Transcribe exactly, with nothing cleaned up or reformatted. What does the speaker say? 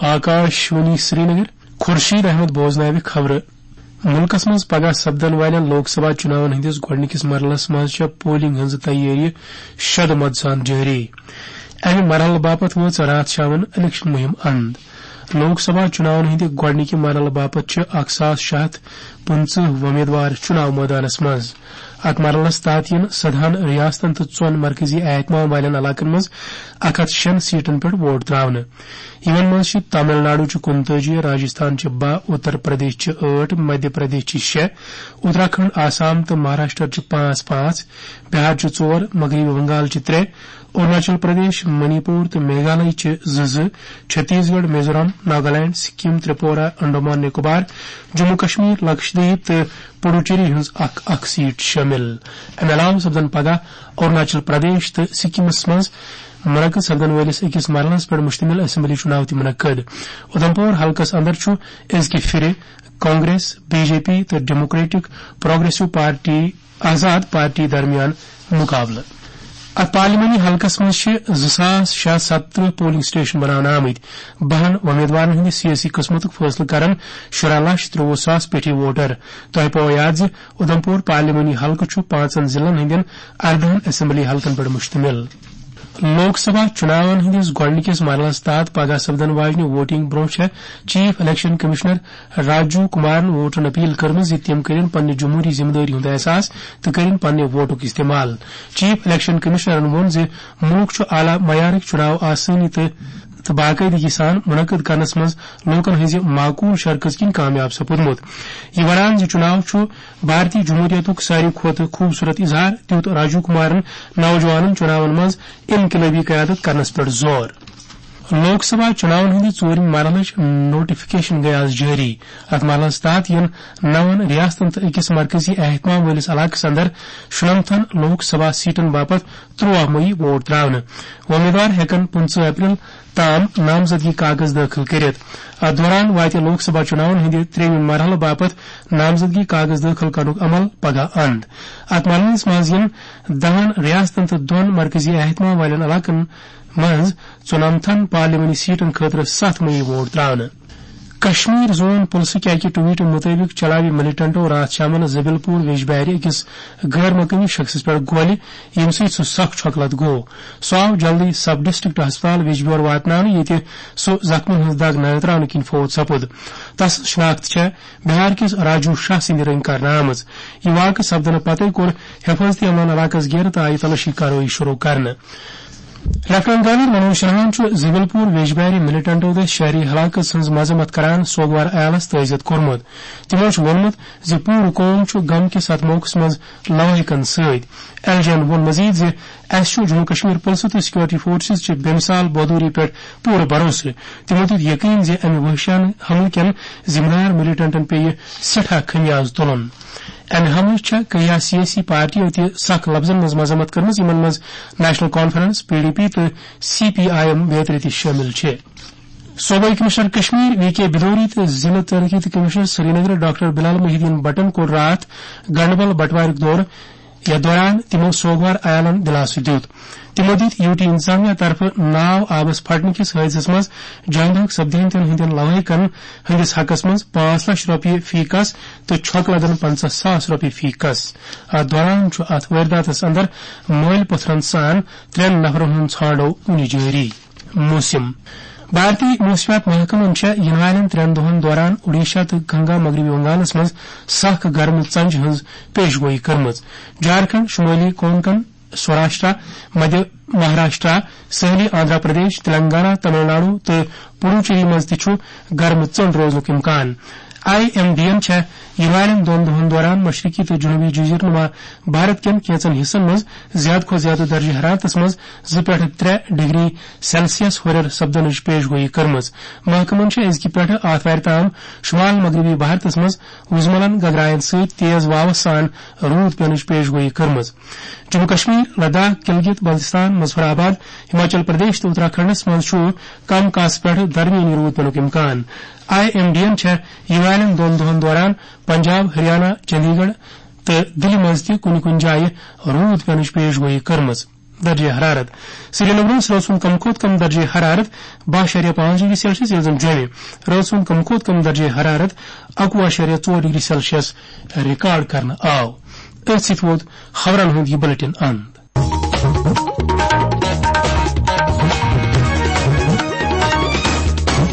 آکاشوانی سرینگر۔ خورشید احمد بوزناوِ خبرٕ۔ مُلکَس منٛز پگاہ سپدن والٮ۪ن لوک سبھا چُناون ہٕنٛدِس گۄڈٕنِکِس مرحلَس منٛز چھےٚ پولنگ ہٕنٛز تیٲری شدٕ مدٕ سان جٲری۔ اَمہِ مرحلہٕ باپتھ وٲژ راتھ شامَن الیکشن مُہِم اند۔ لوک سبھا چُناون ہٕنٛدِ گۄڈٕنِکہِ مرحلہٕ باپتھ چھِ اکھ ساس شےٚ ہتھ پٕنٛژٕہ وۄمیدوار چُناو مٲدانَس منٛز۔ اَتھ مرحلَس تحت یِن سدہَن ریاستن تہٕ ژۄن مرکزی اہتمام والٮ۪ن علاقن منٛز اکھ ہتھ شیٚن سیٹن پٮ۪ٹھ ووٹ تراونہٕ۔ یِمن منٛز چھِ تامل ناڈو چھِ کُنتٲجی، راجستھان چھِ باہ، اتر پردیش چھِ ٲٹھ، مدھیہ پردیش چھِ شےٚ، اتراکھنڈ، آسام تہٕ مہاراشٹر چھِ پانٛژھ پانٛژھ، بہار چھِ ژور، مغربی بنگال چھِ ترٛےٚ، اروناچل پردیش، منی پور تہٕ میگھالیہ چھِ زٕ زٕ، چھتیس گڑھ، میزورام، ناگالینڈ، سکم، تریپورہ، انڈمان نکوبار، جموں کشمیر، لکشدیپ تہٕ پڈوچیری ہٕنٛز اکھ اکھ سیٹ شٲمِل۔ امہِ علاوٕ سپدن پگاہ اروناچل پردیش تہٕ سکمس منٛز منعقد سپدن وٲلِس أکِس مرحلَس پٮ۪ٹھ مشتمل اسمبلی چُناو تہِ منعقد۔ اُدھمپور حلقس اندر چھُ أزکہِ پھِرِ کانگریس، بی جے پی تہٕ ڈیموکریٹک پروگریسو پارٹی، آزاد پارٹی درمیان مقابلہٕ۔ اتھ پارلیمانی حلقس منٛز چھِ زٕ ساس شےٚ ہتھ ستترٕہ پولنگ سٹیشن بناونہٕ آمٕتۍ۔ بہن وۄمیدوارن ہٕنٛدِ سیٲسی قسمتُک فٲصلہٕ کرن شُراہ لچھ ترٛوُہ ساس پیٹھی ووٹر۔ تۄہہِ پاوو یاد زِ اُدھمپور پارلیمانی حلقہٕ چھُ پانٛژن ضلعن ہٕنٛدٮ۪ن اردہن اسمبلی حلقن پٮ۪ٹھ مشتمل۔ لوک سبھا چُناون ہٕنٛدِس گۄڈٕنِکِس مرحلَس تحت پگاہ سپدن واجنہِ ووٹنگ برونٛہہ چھےٚ چیف الیکشن کمشنر راجیو کمارن ووٹرن اپیل کٔرمٕژ زِ تِم کٔرِن پننہِ جمہوری ذمہٕ دٲری ہُنٛد احساس تہٕ کٔرِن پننہِ ووٹُک استعمال۔ چیف الیکشن کمشنرن ووٚن زِ مُلک چھُ اعلیٰ معیارٕکۍ چُناو آسٲنی تہٕ تہٕ باقٲعدگی سان منعقد کرنس منٛز لوٗکن ہٕنٛزِ معقول شرکژ کِنۍ کامیاب سپُدمُت۔ یہِ ونان زِ چُناو چھُ بھارتی جمہوریتُک ساروی کھۄتہٕ خوٗبصوٗرت اظہار، دیُت راجیو کمارن نوجوانن چُناون منٛز انقلٲبی قیادت کرنس پٮ۪ٹھ زور۔ لوک سبھا چُناون ہٕنٛدِ ژوٗرِمہِ مرحلٕچ نوٹیفکیشن گٔیہِ آز جٲری۔ اتھ مرحلس تحت یِن نون ریاستن تہٕ أکِس مرکزی اہتمام وٲلِس علاقس اندر شُنمتھن لوک سبھا سیٹن باپتھ ترٛوواہ مئی ووٹ تراونہٕ۔ وۄمیدوار ہٮ۪کن پٕنٛژٕہ اپریل تام نامزدگی کاغذ دٲخل کٔرِتھ۔ اتھ دوران واتہِ لوک سبھا چُناون ہٕنٛدِ ترٛیٚیِمہِ مرحلہٕ باپتھ نامزدگی کاغذ دٲخل کرنُک عمل پگاہ اند۔ اتھ مرحلس منٛز یِن دہن ریاستن تہٕ دۄن مرکزی اہتمام والٮ۪ن علاقن منٛز ژُنمتھن پارلیمانی سیٹن خٲطرٕ ستھ مئی ووٹ تراونہٕ۔ کشمیر زون پُلسٕکۍ اَکہِ ٹویٹہٕ مُطٲبِق چلاوِ ملیٹنٹو راتھ شامَن زبیل پور ویجبیارِ أکِس غٲر مقٲمی شخصَس پٮ۪ٹھ گولہِ، ییٚمہِ سۭتۍ سُہ سخ چھۄکہٕ لد گوٚو۔ سُہ آو جلدی سب ڈسٹرکٹ ہسپتال ویجبیور واتناونہٕ، ییٚتہِ سُہ زخمَن ہٕنٛز دگ ننہٕ ترٛاونہٕ کِنۍ فوت سپُد۔ تس شناخت چھےٚ بہار کِس راجو شاہ سٕنٛدِ رٔنٛگۍ کرنہٕ آمٕژ۔ یہِ واقعہٕ سپدنہٕ پتَے کوٚر حفاظتی عملن علاقَس گیرٕ تہٕ آیہِ تلٲشی کاروٲیی شروع کرنہٕ۔ لیفٹیننٹ گورنر منوج سنہاہن چھُ زبیل پور ویجبیاری ملیٹنٹو دٔسۍ شہری ہلاکت ہٕنٛز مذمت کران سوگوار عیالس تعزیت کوٚرمُت۔ تِمو چھُ ووٚنمُت زِ پوٗرٕ قوم چھُ غم کِس اتھ موقعس منٛز لوٲحقن سۭتۍ۔ ایل جی ین ووٚن مزید زِ اسہِ چھُ جموں کشمیر پُلسہٕ تہٕ سیکورٹی فورسز چہِ بے مثال بہادری پٮ۪ٹھ پوٗرٕ بھروسہٕ۔ تِمو دیُت یقین زِ امہِ وحشیانہٕ حملہٕ کٮ۪ن ذمہٕ دار ملیٹنٹن پیٚیہِ سٮ۪ٹھاہ خمیاز تُلُن۔ امہِ حملٕچ چھےٚ کینٛہہ سیٲسی پارٹیو تہِ سخ لفظن منٛز مذمت کٔرمٕژ، یِمن منٛز national conference, P D P تہٕ سی پی آئی ایم بیترِ تہِ شٲمِل چھِ۔ صوبٲئی کمشنر کشمیر وی کے بدوری تہٕ ضلع ترقیتی کمشنر سرینگر ڈاکٹر بلال محی الدین بٹن کوٚر راتھ گنڈبل بٹوارِ دورٕ۔ یتھ دوران تِمو سوگوار عیالن دلاسہٕ دیُت۔ تِمو دِتۍ یوٗ ٹی انتظامیہ طرفہٕ ناو آبس پھٹنہٕ کِس حٲدثس منٛز جان بحق سپدمتٮ۪ن ہٕنٛدٮ۪ن لوٲحقن ہٕنٛدِس حقس منٛز پانٛژھ لچھ رۄپیہِ فی کس تہٕ چھۄکہٕ لدن پنٛژاہ ساس رۄپیہِ فی کس۔ اتھ دوران چھُ اتھ وٲرۍداتس اندر مٲلۍ پٔتھرن سان ترٛٮ۪ن نفرن ہُنٛد ژھانٛڈو وُنہِ جٲری۔ موسم۔ بھارتی موسمیات محکمن چھےٚ یِنہٕ والٮ۪ن ترٛٮ۪ن دۄہن دوران اوڈیشہ تہٕ گنگا مغربی بنگالس منٛز سخ گرمہٕ ژنجہِ ہٕنٛز پیش گویی کٔرمٕژ۔ جھارکھنڈ، شمٲلی کونکن، سوراشٹرا، مدھیہ مہاراشٹرا، سٲحلی آندھرا پردیش، تلنگانہ، تمل ناڈو تہٕ پڈوچیری منٛز تہِ چھُ گرمہٕ ژٔنٛڈ روزنُک امکان۔ آئی ایم ڈی ین چھےٚ یِنہٕ والٮ۪ن دۄن دۄہن دوران مشرقی تہٕ جنوبی جزیرٕ نما بھارت کٮ۪ن کینٛژن حصن منٛز زیادٕ کھۄتہٕ زیادٕ درجہ حرارتس منٛز زٕ پٮ۪ٹھٕ ترٛےٚ ڈگری سیلسیس ہُرٮ۪ر سپدنٕچ پیش گویی کٔرمٕژ۔ محکمن چھےٚ أزکہِ پٮ۪ٹھٕ آتھوارِ تام شمال مغربی بھارتس منٛز وُزملن گگراین سۭتۍ تیز واوس سان روٗد پینٕچ پیش گویی کٔرمٕژ۔ جموں کشمیر، لداخ، گلگت بلتستان، مظفر آباد، ہماچل پردیش تہٕ اتراکھنڈس منٛز چھُ کم کاسہٕ پٮ۪ٹھ درمیٲنی روٗد پینُک امکان۔ آئی ایم ڈی ین چھےٚ یِنہٕ والٮ۪ن دۄن دۄہن دوران پنجاب، ہریانہ، چندی گڑھ تہٕ دِلہِ منٛز تہِ کُنہِ کُنہِ جایہِ روٗد پینٕچ پیش گویی کٔرمٕژ۔ درجہ حرارت۔ سری نگرس رٲژ ہُنٛد کم کھۄتہٕ کم درجہ حرارت باہ اعشاریہ پانٛژھ ڈگری سیلسیس، ییٚلہِ زن جوٚمہِ رٲژ ہُنٛد کم کھۄتہٕ کم درجہ حرارت اکوُہ اعشاریہ ژور ڈگری سیلسیس ریکارڈ کرنہٕ آو۔ أتھۍ سۭتۍ ووت خبرن ہُنٛد یہِ بلیٹن اند۔